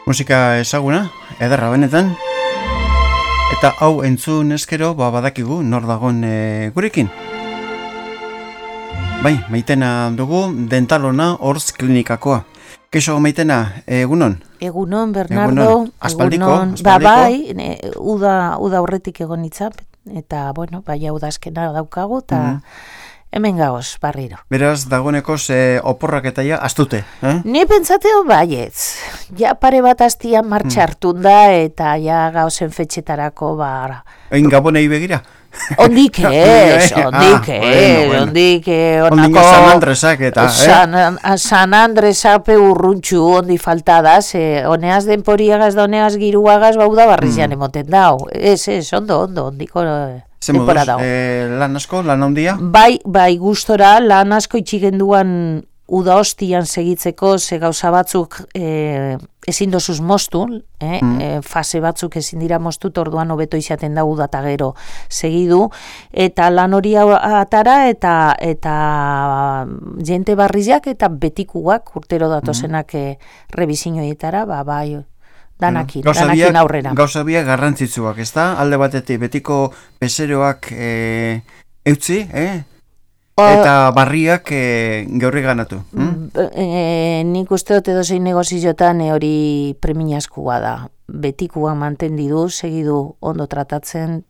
Musika ezaguna, ederra benetan. Eta hau entzun eskero, badakigu nor dagon gurekin. Bai, Maitena dugu, dentalona Hortz Klinikakoa. Keixo Maitena, egunon? Egunon, Bernardo. Aspaldiko? Bai, uda aurretik egon itzap, eta, bueno, bai hau da azkena daukagu, eta hemen gaoz, barriro. Beraz, dagoeneko oporrak eta ja, astute, Ni pentsateo baietz. Ja pare bat astia martxartun da, eta ja gaozen fetxetarako, Egin Gabonei begira? Ondik ez, ondik onako San Andresak eta, San Andresape urruntxu ondi faltadaz, honeaz denporiagaz da honeaz giruagaz bauda barrizian emoten dau. Ondo, ondiko denpora dau. Lan asko, lan handia? Bai, gustora, lan asko itxigenduan uda hostian segitzeko, ze gauza batzuk ezin dozuz moztu, fase batzuk ezin dira moztu, orduan hobeto izaten da uda eta gero segidu, eta lan hori atara, eta jente barriziak eta betikuak, urtero datozenak rebizinioietara, bai, danakin aurrera. Gauza biak garrantzitsuak, ez da? Alde batetik, betiko bezeroak eutzi, eta barriak geurri ganatu. Nik uste dut edozein negozioetan hori premiazkoa da. Betikuak mantendidu, segidu ondo tratatzen,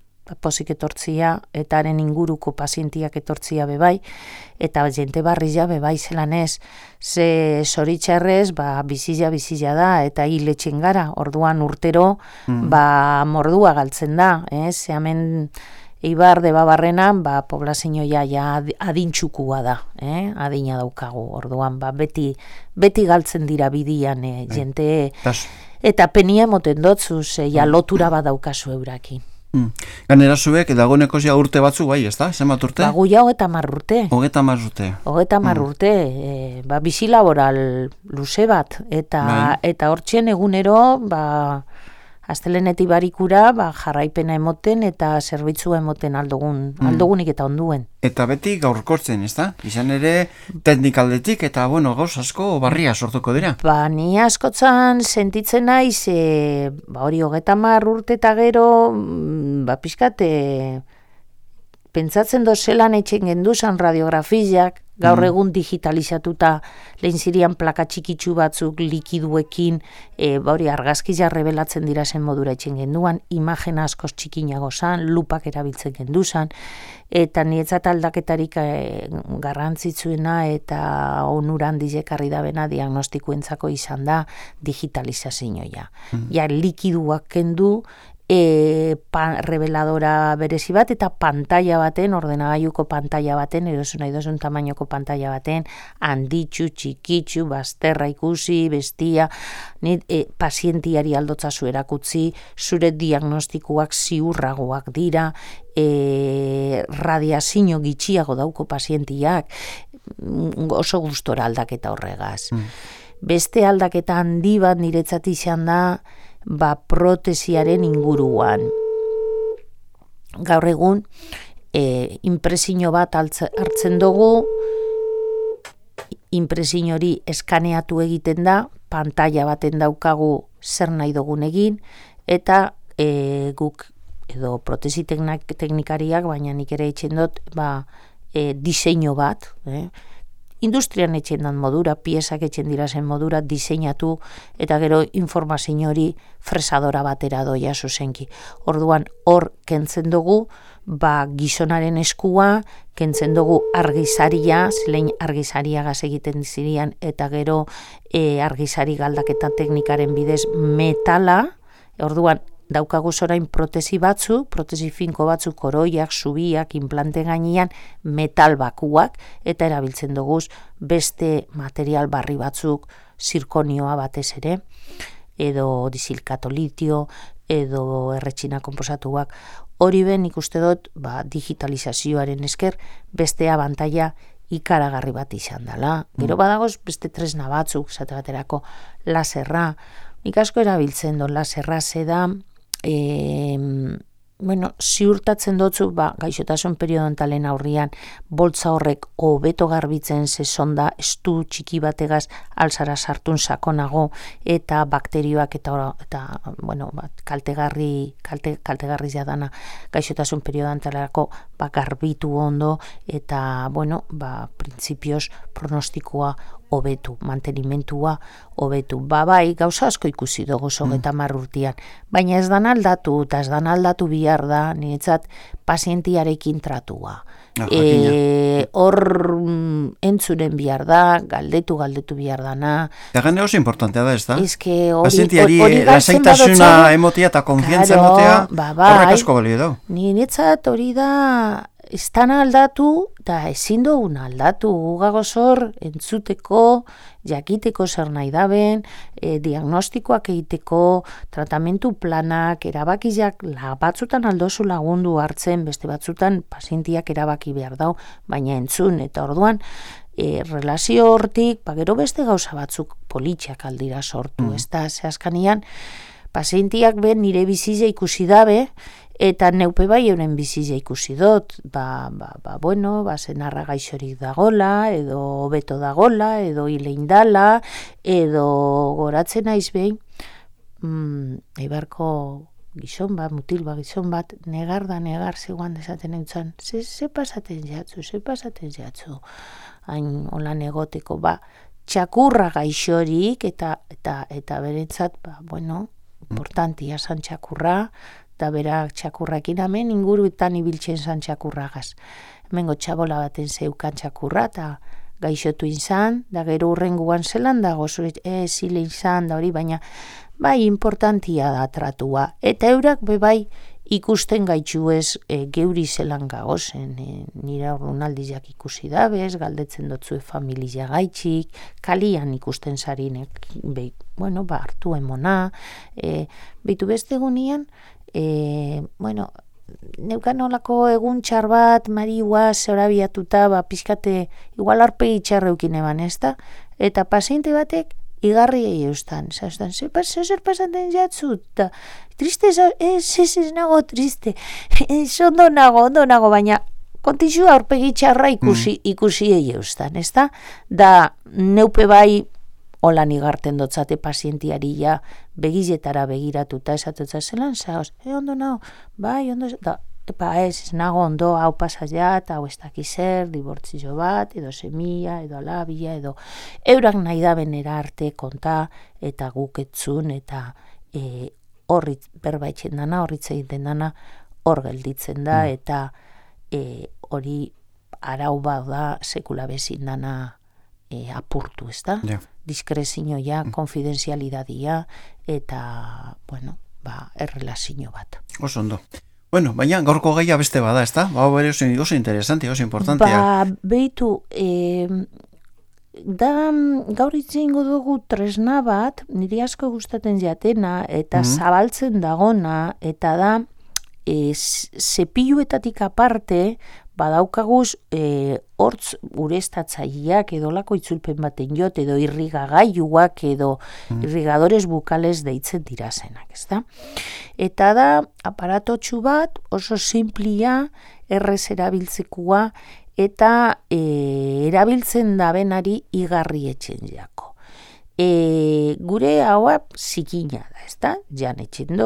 pozik etortzia, eta haren inguruko pazientiak etortzia bebai, eta jente barria bebai zelan ez. Ze zoritxarrez, bizia da, eta hiletxen gara, orduan urtero, mordua galtzen da. Ze hemen Eibar de Babarrenan, poblazioa ja adintxukua da, adina daukagu, orduan, beti galtzen dira bidian, jente, eta penia emoten dotzu, ja lotura bat daukazu eurakin. Ganera zuek, dagoeneko ja urte batzu, bai, ez da? Zenbat urte? Guia 30 urte. 30 urte. Bizi laboral luze bat, eta hortxen egunero, astelenetik barikura, jarraipena emoten eta zerbitzua emoten aldogunik eta onduen. Eta beti gaurkortzen, ez da? Izan ere, teknikaldetik eta, gauz asko barria sortuko dira. Ni askotzan sentitzen naiz, hori 30 urte eta gero, pixkat, pentsatzen dozelan etxen genduzan radiografiak, gaur egun digitalizatuta lehen zirian plaka txikitsu batzuk likiduekin, hori argazkizia rebelatzen dira zen modura etxen genduan, imagen askoz txikinago zan, lupak erabiltzen genduzan, eta nietzat aldaketarik garrantzitsuena eta onuran dizekarri da bena diagnostikuentzako izan da digitalizazioa. Ja likiduak kendu, reveladora berezi bat eta pantalla baten, ordenagailuko pantalla baten, erosun nahi dozun tamainoko pantalla baten, handitxu, txikitxu, bazterra ikusi, bestia, pazientiari aldotzazu erakutzi, zure diagnostikuak ziurragoak dira, radiazio gitxiago dauko pazientiak, oso gustora aldaketa horregaz. Beste aldaketa handi bat niretzat izan da, protesiaren inguruan. Gaur egun, inpresio bat hartzen dugu, inpresio hori eskaneatu egiten da, pantalla baten daukagu zer nahi dugun egin, eta guk, edo protesi teknikariak, baina nik ere etxen dut, diseinu bat, industrian etxen dan modura, piezak etxen dira zen modura, diseinatu, eta gero informazio hori fresadora batera doia zuzenki. Orduan, hor kentzen dugu, gizonaren eskua, kentzen dugu argizaria, zelein argizaria gaz egiten zirian, eta gero argizari galdaketa teknikaren bidez metala, orduan, daukagu zorain protesi finko batzu, koroiak, zubiak, implante gainean, metal bakuak, eta erabiltzen duguz beste material barri batzuk, zirkonioa batez ere, edo disilkato litio, edo erretxina konposatuak. Hori ben ikuste dut, digitalizazioaren esker, beste abantaila ikaragarri bat izan dela. Gero badagoz beste tresna batzuk, zate baterako laserra. Nik asko erabiltzen dut laserra zeda, ziurtatzen dotzu, gaixotasun periodontalen aurrian, boltza horrek hobeto garbitzen ze sonda estu txiki bategaz alzara sartun sakonago, eta bakterioak eta kaltegarri jadana gaixotasun periodontalerako garbitu ondo, eta, printzipioz pronostikoa hobetu, mantenimentua hobetu. Bai, gauza asko ikusi dugu eta marrurtian, baina ez dan aldatu, eta ez dan aldatu bihar da, niretzat pazientiarekin tratua. Hor entzuren bihar da, galdetu bihar dana. Egan oso importantea da, ez da? Pazientiari lasaitasuna emotia eta konfiantza emotea, horrek asko balio da. Niretzat hori da, ez dana aldatu, eta ezin dugun aldatu, gagozor, entzuteko, jakiteko zer nahi daben, diagnostikoak egiteko, tratamentu planak, erabakiak, batzutan aldozu lagundu hartzen, beste batzutan pazientiak erabaki behar dau, baina entzun, eta orduan, relazio hortik, gero beste gauza batzuk politxak aldira sortu, ez da, zehazkanian, pazientiak ben nire bizizia ikusi dabe, eta neupe bai euren bizizia ikusi dut, zenarra gaixorik dagola, edo beto dagola, edo hileindala, edo goratzen naiz behin, eibarko gizon bat, negar zegoan desaten eutzen, ze pasaten jatzu, hain holan egoteko, txakurra gaixorik, eta berentzat, importantia zan txakurra, eta berak txakurrakin hemen inguruetan ibiltzen zan txakurragaz. Hemengo txabola baten zeukan txakurra, eta gaixotu izan, da gero urrenguan zelan dago, zile izan da hori, baina importantia da tratua. Eta eurak ikusten gaitxu ez geuri zelan gagozen, nire horrenaldiak ikusi dabez, galdetzen dotzue familia gaitxik, kalian ikusten zarinek, hartu emona, behitu beste egunean, neukan olako egun txar bat, mariua, zorabiatuta, pixkate, igual arpegi txarreukin eban, ez da? Eta paziente batek, igarriei eustan, zer pasaten jatzu, eta triste, ez nago triste, ondo nago, baina kontizu aurpegi txarra ikusiei eustan, ez da? Da, neupe bai, holan igarten dotzate pazientiari ja begizetara begiratuta esatutza zelan zaoz, ondo nago, ondo, ez nago ondo, hau pasaiat, hau ez dakizer, dibortzio bat, edo semia, edo alabia, edo eurak nahi da benera arte konta, eta guketzun, eta horrit berbaitzen dana, horritz egiten dana, hor gelditzen da, eta hori arau bat da sekula bezin dana apurtu, ez da? Diskrezioa, konfidenzialidadia, eta, errelazio bat. Oso ondo. Baina gaurko gaia beste bada, ez da? Bere oso interesante, oso importantea. Behitu, gaur itzengo dugu tresna bat, niri asko gustaten jatena, eta zabaltzen dagona, eta da, zepiluetatik aparte, badaukaguz hortz ureztatzaileak edo lako itzulpen baten jot, edo irrigagailuak edo irrigadores bukales deitzen dirazenak, ezta? Eta da, aparatotxu bat oso simplia, errez erabiltzekua, eta erabiltzen dabenari igarri etxen jako. Gure haua zikina da, ezta? Jan etxen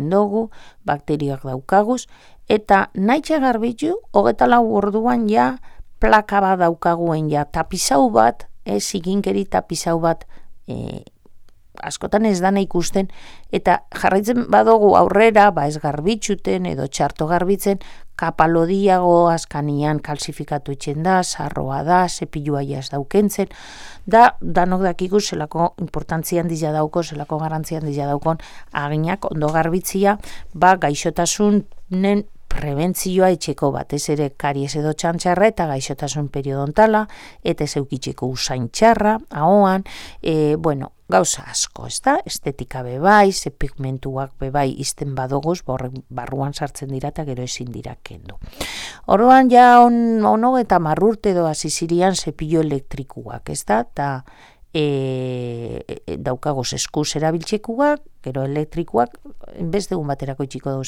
dugu, bakterioak daukaguz, eta nahitxe garbitu, 24 orduan ja plaka bat daukaguen ja tapizau bat, zikinkeri tapizau bat, askotan ez dana ikusten, eta jarraitzen badugu aurrera, ez garbitxuten edo txarto garbitzen, kapalodiago askanian kalsifikatu etxen da, sarroa da, zepilua jaz daukentzen, danok dakiku zelako importantzia handia dauko, zelako garrantzia handia daukon, aginak ondo garbitzia, gaixotasunen prebentzioa etxeko batez ere karies edo txantxarra eta gaixotasun periodontala, eta ez eukitzeko usain txarra, ahoan, gauza asko, ez da? Estetika bebai, ze pigmentuak bebai izten badoguz, barruan sartzen dira eta gero ezin dira kendu. Orduan ja ono eta marrurte edo azizirian zepillo elektrikuak, ez da? Eta daukagoz eskuz erabiltzekuak, gero elektrikoak, beste egun baterako itxiko dugu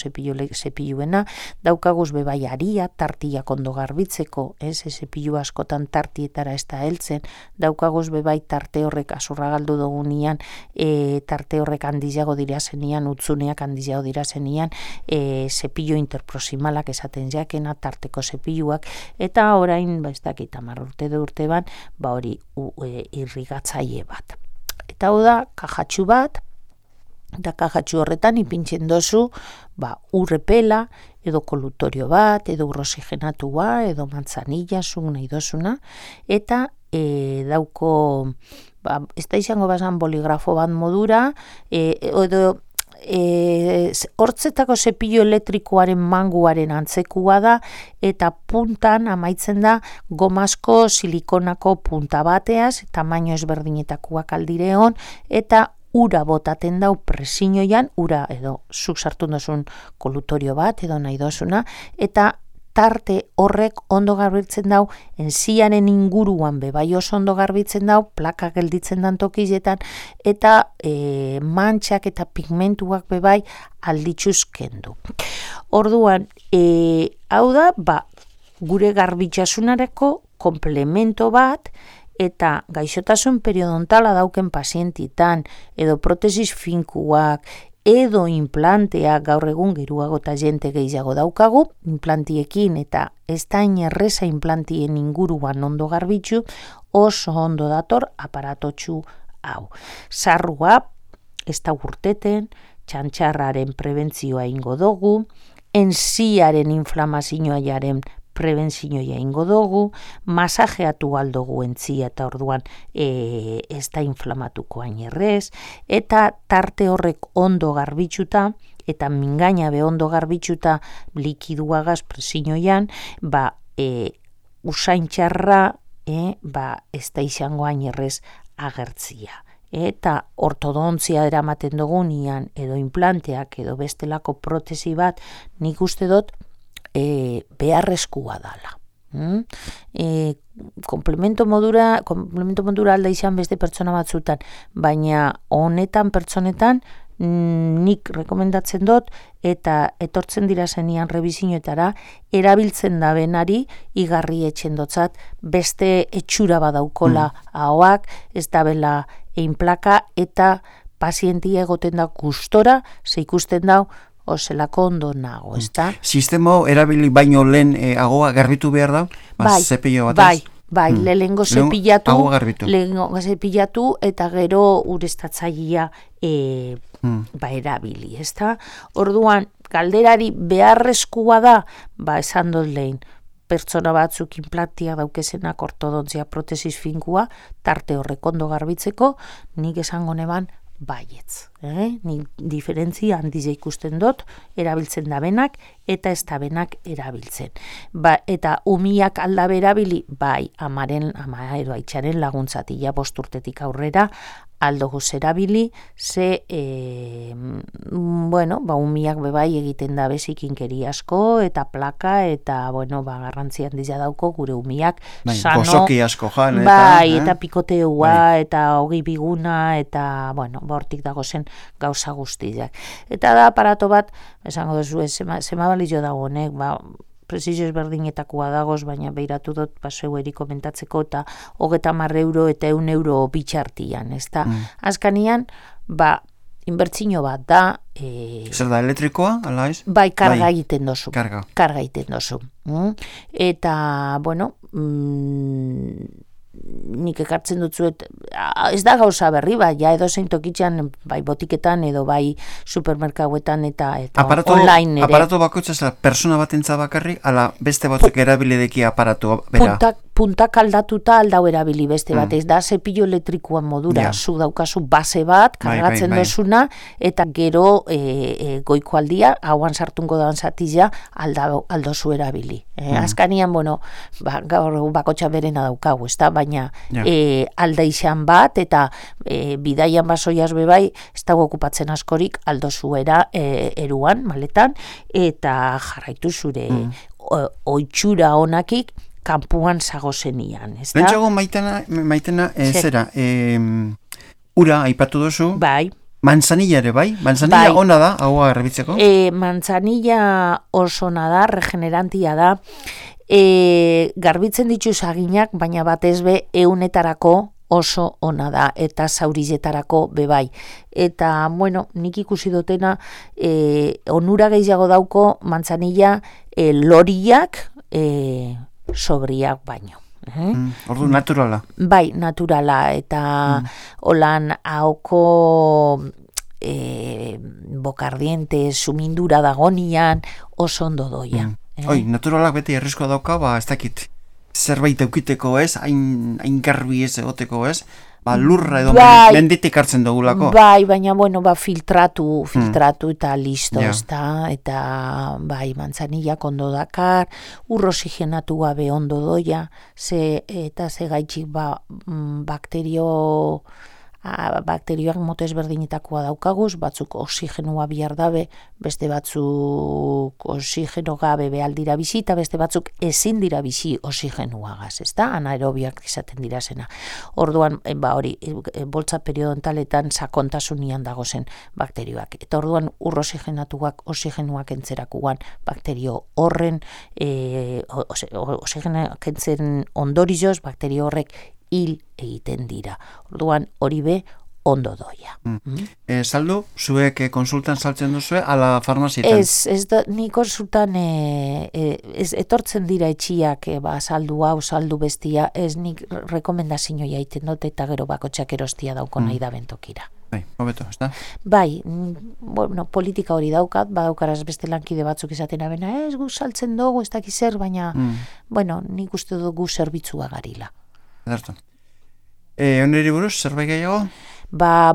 zepiluena, daukaguz bebai aria, tartiak ondo garbitzeko, zepilu askotan tartietara ez da heltzen, daukaguz bebai tarte horrek azurra galdu dugunean, tarte horrek handizago dira zenian, utzuneak handizago dira zenian, zepilu interproximalak esaten jakena, tarteko zepiluak, eta orain, ez dakit 10 urte ban, hori irrigatzaile bat. Eta hau da, kajatxu bat, eta kajatxu horretan ipintzen dozu urrepela, edo kolutorio bat, edo urroxigenatua, edo manzanilla, zuk nahi dozuna, eta dauko, ez da izango bazan boligrafo bat modura, edo hortzetako zepilu elektrikoaren manguaren antzekua da, eta puntan amaitzen da gomazko silikonako punta bateaz, tamaino ezberdinetakoak aldireon, eta ura botaten dau presinoian, ura edo zuk sartu dozun kolutorio bat edo nahi dozuna, eta tarte horrek ondo garbitzen dau, enziaren inguruan bebai oso ondo garbitzen dau, plaka gelditzen dan tokizetan, eta mantxak eta pigmentuak bebai alditxuz kendu. Orduan, hau da, gure garbitxasunareko komplemento bat, eta gaixotasun periodontala dauken pazientitan, edo protesis finkuak, edo implanteak gaur egun geruago eta jente gehiago daukagu, implantiekin eta ez da inerreza implantien inguruan ondo garbitzu, oso ondo dator aparatotxu hau. Sarrua, ez da urteten, txantxarraren prebentzioa ingo dugu, enziaren inflamazioa jaren prebentzioa ingo dugu, masajeatu aldogu entzia eta orduan ez da inflamatuko ainerrez, eta tarte horrek ondo garbitzuta, eta mingaina be ondo garbitzuta likiduagaz presioian, usaintxarra ez da izango ainerrez agertzia. Eta ortodontzia eramaten dugunean, edo implanteak, edo bestelako protesi bat, nik uste dut, beharrezkoa dala. Komplemento modura alda izan beste pertsona batzutan, baina honetan pertsonetan nik rekomendatzen dut, eta etortzen dira zenian rebizinoetara, erabiltzen da benari, igarri etxen dotzat, beste etxura badaukola ahoak, ez da bela einplaka, eta pazientia egoten da gustora, ze ikusten dau, ozelako ondo nago, ez da? Sistema erabili baino lehen agoa garbitu behar da? Zepillo batez? Bai, lehengo zepillatu eta gero ureztatzailea erabili, ez da? Orduan, galderari beharrezkoa da, esan dut lehen, pertsona batzuk implantia daukezenak ortodontzia protesis finkua, tarte horrek ondo garbitzeko, nik esango neban baietz. Nik diferentzia handize ikusten dut, erabiltzen da benak, eta ez da benak erabiltzen. Eta umiak aldabe erabili, ama edo aitxaren laguntzatila 5 urtetik aurrera, aldoguz erabili, ze, umiak bebai egiten da bezikinkeri asko, eta plaka, eta, garrantzi handia dauko gure umiak, sano, gozoki asko jan, eta pikoteua, eta hogi biguna, eta, hortik dago zen gauza guztiak. Eta da aparato bat, esango duzu, zema balizio dago honek, prezizio ezberdinetakoa dagoz, baina behiratu dut zeu eri komentatzeko, eta 30 euro eta 1 euro bitxartian, ez da? Azkanian, inbertzino bat da... Zer da, elektrikoa, ala ez? Karga egiten dozu. Karga egiten dozu. Eta, nik ekartzen dutzuet, ez da gauza berri, edo zein tokitxan, botiketan, edo supermerkauetan, eta online ere. Aparato bakoitza, persona bat entza bakarri, ala beste batzuk erabilideki aparato bera? Puntak aldatuta aldau erabili beste bat, ez da zepillo elektrikoan modura, zu daukazu base bat, kargatzen dozuna, eta gero goiko aldia, hauan sartungo dan zatila, aldozu erabili. Azkanian, gaur bakotxa berena daukagu, ez da, baina alda izan bat, eta bidaian basoiaz bebai, ez dago okupatzen askorik aldozu eruan, maletan, eta jarraitu zure oitxura honakik, kanpuan zagozenian, ez da? Lentsago maitena zera, ura aipatu duzu, Manzanilla ere bai? Manzanilla ona da, hau errebitzeko? Manzanilla oso ona da, regenerantia da. Garbitzen ditu zaginak, baina batez be eunetarako oso ona da, eta zaurizetarako bebai. Eta, bueno, nik ikusi dutena, onura gehiago dauko manzanilla loriak sobriak baino. Ordu naturala. Bai, naturala, eta holan hauko bokardiente, sumindura dagonian, oso ondo doia. Oi, naturalak beti errizkoa dauka, ez dakit, zerbait eukiteko ez, hain garbi ez egoteko ez, lurra edo menditik hartzen dugulako. Bai, baina, bueno, filtratu eta listo, ezta, eta, bai, manzanillak ondo dakar, ur oxigenatu gabe ondo doia, eta ze gaitxik, bakterioak mote ezberdinetakoa daukaguz, batzuk oxigenua bihar dabe, beste batzuk oxigeno gabe behal dira bizi, eta beste batzuk ezin dira bizi oxigenuagaz, ezta? Anaerobiak izaten dira zena. Orduan, hori, boltza periodontaletan sakontasunian dagozen bakterioak. Eta orduan, ur oxigenatuak, oxigenuak entzerakuan, bakterio horren, oxigenuak entzen ondorioz, bakterio horrek hil egiten dira. Orduan hori be ondo doia. Saldu, zuek konsultan saltzen duzue, ala farmazietan? Ez da, ni konsultan etortzen dira etxiak, saldu hau, saldu bestia, ez nik rekomendazioa egiten dut, eta gero bakotxak erostia dauko nahi da bentokira. Bai, hobeto, ez da? Bai, bueno, politika hori daukat, badaukaraz beste lankide batzuk izaten abena, ez gu saltzen dugu, ez dakiz zer, baina, bueno, nik uste dugu zerbitzua garila. Edartu. Oneri buruz, zerbait gehiago?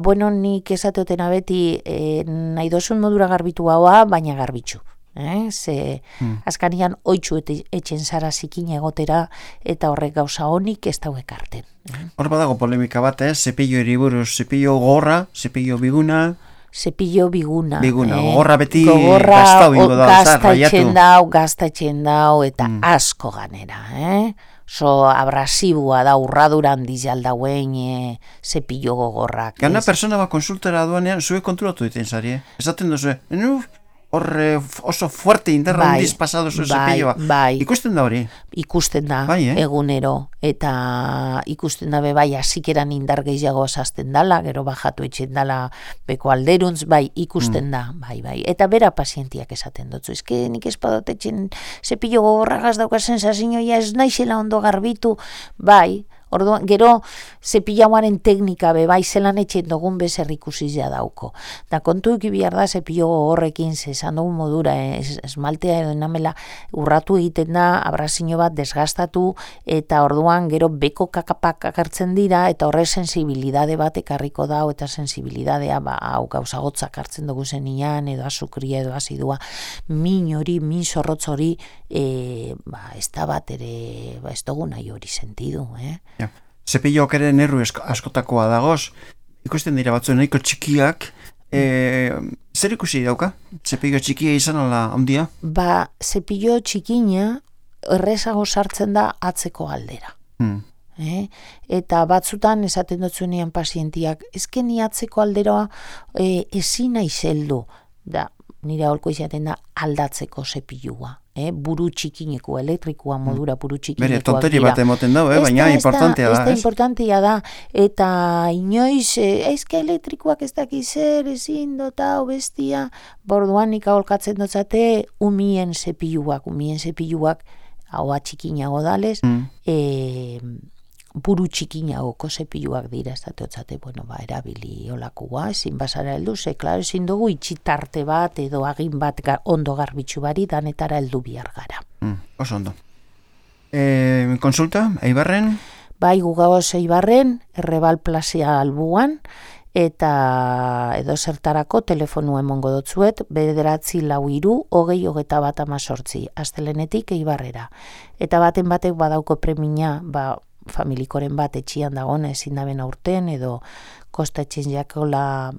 Bueno, nik esateotena beti nahi dozun modura garbitu haua, baina garbitzu. Azkanian oitzu etxen zara zikin egotera, eta horrek gauza honik ez dauek arten. Hor badago polemika bat, zepillo eriburuz, zepillo gorra, zepillo biguna... Zepillo biguna. Gorra beti gaztau ingo da, raiatu. Gaztatzen dau, eta asko ganera, abrasibua da, urraduran dizaldauen zepillo gogorrak. Gana persona konsultara duanean, zue kontrolatu diten zari, esaten duzu, horre oso fuerte indarra handiz pasado zuen zepilloa. Bai. Ikusten da hori? Ikusten da, egunero. Eta ikusten da bai, azikeran indar gehiago azazten dala, gero bajatu etxen dala beko alderuntz, bai, ikusten da, bai. Eta bera pazientiak esaten dutzu. Ezke nik espadot etxen zepillo gogorragaz daukazen sazinoia ez naizela ondo garbitu, bai. Orduan, gero zepillauaren teknika bai zelan etxen dugun bezer ikusizia dauko. Da kontu ikibihar da zepillo horrekin zezan dugun modura, esmaltea edo namela urratu egiten da, abrazio bat desgastatu, eta orduan gero beko kakapak akartzen dira, eta horre sensibilidade bat ekarriko da, eta sensibilidadea hau gauzagotzak hartzen dugu zenian, edo azukria edo azidua, min hori, min zorrotz hori, ez da bat ere, ez dugu nahi hori sentidu, Ja. Zepilloak ere nerru askotakoa dagoz, ikusten dira batzu nahiko txikiak, zer ikusi dauka? Zepillo txikia izan ala handia? Zepillo txikina errezago sartzen da atzeko aldera. Eta batzutan esaten dutzunean pazientiak, ezkeni atzeko aldera ezin nahi zeldu, da nire holko izaten da aldatzeko zepillua. Buru txikineko, elektrikoa modura buru txikinekoak dira. Bere, tonteri bat emoten dau, baina importantea da. Importantea da, eta inoiz, eizke elektrikoak ez dakizer, ezin dota, bestia, borduan nik aholkatzen dotzate, umien zepilluak, haua txikinago dalez, buru txikinagoko zepilluak dira, ez datotzate, erabili olakua, ezin basara heldu, klaro, ezin dugu itxitarte bat, edo agin bat ondo garbitzu bari, danetara heldu bihar gara. Oso ondo. Konsulta, Eibarren? Bai, gugaoz Eibarren, Errebal Plazia albuan, eta edo zertarako telefonu emongo dotzuet, 943 astelenetik Eibarrera. Eta baten batek badauko premina, familikoren bat etxian dagoen ezin daben aurten, edo kosta etxen jakola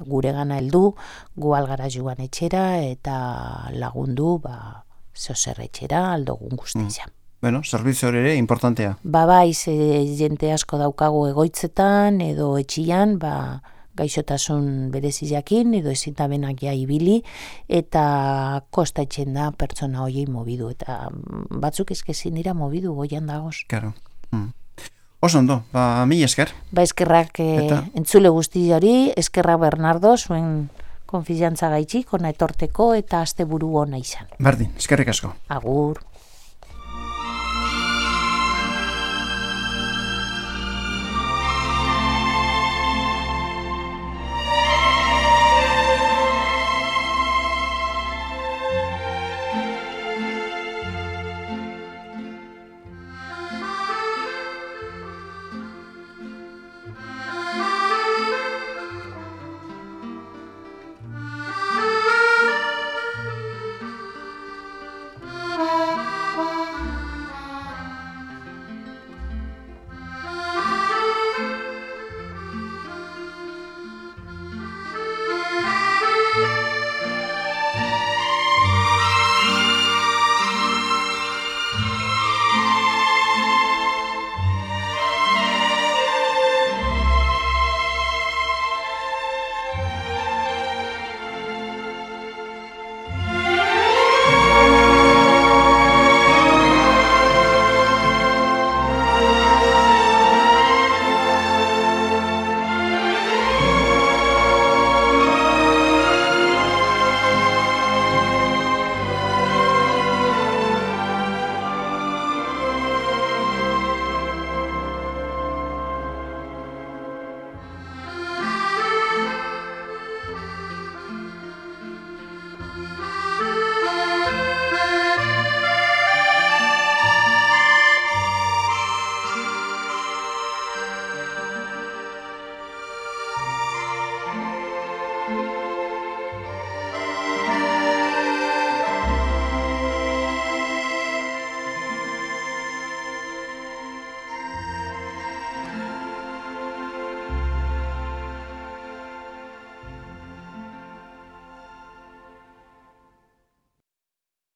gure gana heldu, gu algara joan etxera, eta lagundu, zozer etxera, aldogun guztia. Bueno, zerbitzu hori ere, importantea. Bai, jente asko daukagu egoitzetan, edo etxian, gaixotasun bereziakin edo ezin da benak ja ibili eta kostatzen da pertsona hoiei mobidu eta batzuk ezin dira mobidu goian dagoz. Claro. Oso ondo, mila esker. Eskerrak entzule guzti hori, eskerrak Bernardo, zuen konfiantza gaitxik, ona etorteko eta asteburu ona izan. Berdin, eskerrik asko. Agur.